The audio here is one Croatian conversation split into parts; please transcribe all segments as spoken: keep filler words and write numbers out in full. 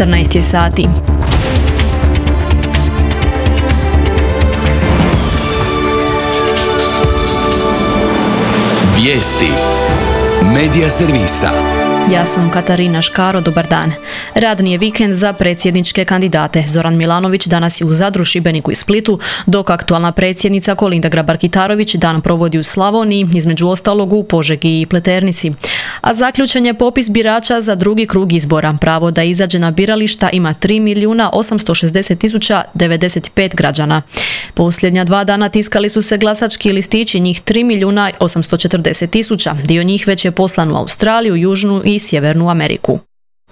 četrnaest je sati. Vijesti Medija servisa. Ja sam Katarina Škaro, dobar dan. Radni je vikend za predsjedničke kandidate. Zoran Milanović danas je u Zadru, Šibeniku i Splitu, dok aktualna predsjednica Kolinda Grabar-Kitarović dan provodi u Slavoniji, između ostalog u Požegi i Pleternici. A zaključen je popis birača za drugi krug izbora. Pravo da izađe na birališta ima tri milijuna osamsto šezdeset tisuća devedeset pet građana. Posljednja dva dana tiskali su se glasački listići, njih tri milijuna osamsto četrdeset tisuća. Dio njih već je poslan u Australiju, Južnu i Sjevernu Ameriku.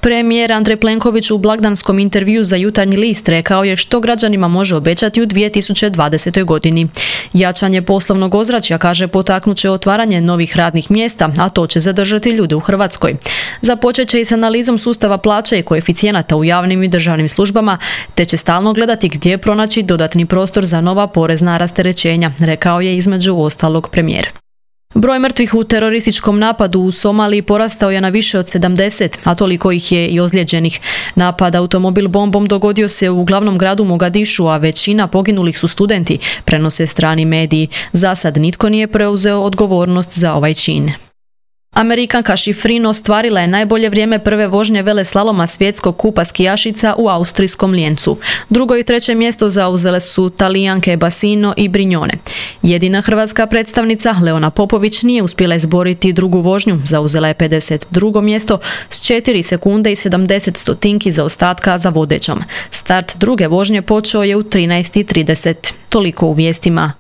Premijer Andrej Plenković u blagdanskom intervjuu za Jutarnji list rekao je što građanima može obećati u dvije tisuće dvadesetoj godini. Jačanje poslovnog ozračja, kaže, potaknut će otvaranje novih radnih mjesta, a to će zadržati ljude u Hrvatskoj. Započet će i s analizom sustava plaća i koeficijenata u javnim i državnim službama, te će stalno gledati gdje pronaći dodatni prostor za nova porezna rasterećenja, rekao je između ostalog premijer. Broj mrtvih u terorističkom napadu u Somaliji porastao je na više od sedamdeset, a toliko ih je i ozlijeđenih. Napad automobil bombom dogodio se u glavnom gradu Mogadišu, a većina poginulih su studenti, prenose strani mediji. Za sad nitko nije preuzeo odgovornost za ovaj čin. Amerikanka Šifrin ostvarila je najbolje vrijeme prve vožnje veleslaloma svjetskog kupa skijašica u austrijskom Lijencu. Drugo i treće mjesto zauzele su Talijanke Basino i Brignone. Jedina hrvatska predstavnica, Leona Popović, nije uspjela izboriti drugu vožnju, zauzela je pedeset drugo mjesto s četiri sekunde i sedamdeset stotinki zaostatka za vodećom. Start druge vožnje počeo je u trinaest i trideset. Toliko u vijestima.